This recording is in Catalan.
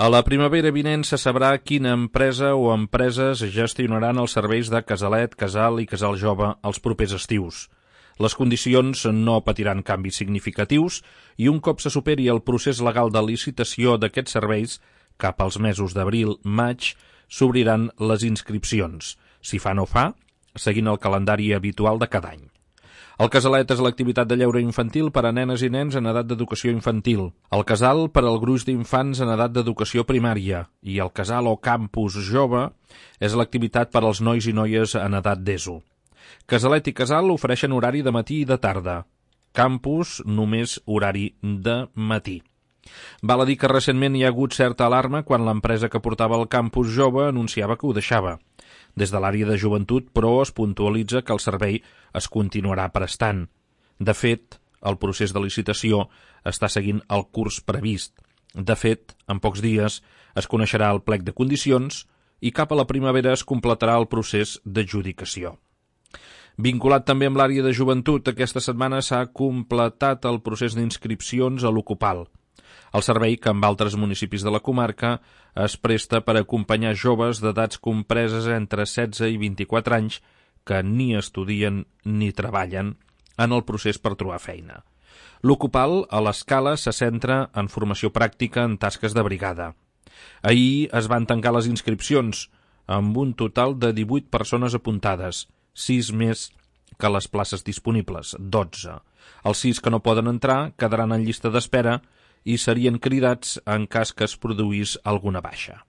A la primavera vinent se sabrà quina empresa o empreses gestionaran els serveis de Casalet, Casal i Casal Jove els propers estius. Les condicions no patiran canvis significatius i un cop se superi el procés legal de licitació d'aquests serveis, cap als mesos d'abril-maig, s'obriran les inscripcions, si fa no fa, seguint el calendari habitual de cada any. El Casalet és l'activitat de lleure infantil per a nenes i nens en edat d'educació infantil. El Casal per al gruix d'infants en edat d'educació primària. I el Casal o Campus Jove és l'activitat per als nois i noies en edat d'ESO. Casalet i Casal ofereixen horari de matí i de tarda. Campus només horari de matí. Val a dir que recentment hi ha hagut certa alarma quan l'empresa que portava el Campus Jove anunciava que ho deixava. Des de l'àrea de joventut, però, es puntualitza que el servei es continuarà prestant. De fet, el procés de licitació està seguint el curs previst. De fet, en pocs dies es coneixerà el plec de condicions i cap a la primavera es completarà el procés d'adjudicació. Vinculat també amb l'àrea de joventut, aquesta setmana s'ha completat el procés d'inscripcions a l'Ocupal. El servei, que amb altres municipis de la comarca, es presta per acompanyar joves d'edats compreses entre 16 i 24 anys que ni estudien ni treballen en el procés per trobar feina. L'Ocupal, a l'Escala, se centra en formació pràctica en tasques de brigada. Ahir es van tancar les inscripcions, amb un total de 18 persones apuntades, 6 més que les places disponibles, 12. Els 6 que no poden entrar quedaran en llista d'espera i serien cridats en cas que es produís alguna baixa.